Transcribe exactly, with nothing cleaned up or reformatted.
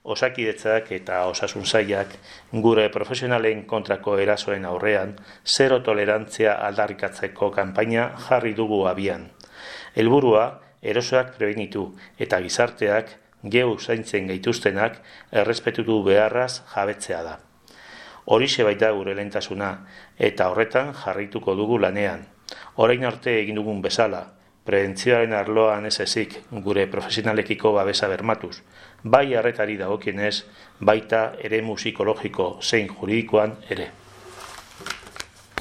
Osakidetzak eta osasun sailak gure profesionalen kontrako erasoen aurrean zero tolerantzia aldarrikatzeko kanpaina jarri dugu abian. Helburua erosoak prebenitu eta gizarteak geu zaintzen gaituztenak errespetutu beharraz jabetzea da. Horixe baita gure lehentasuna eta horretan jarrituko dugu lanean. Orain arte egin dugun bezala, prebentzioaren arloan ez ezik gure profesionalekiko babesa bermatuz, bai arretari dagokienez, baita eremu psikologiko zein juridikoan ere.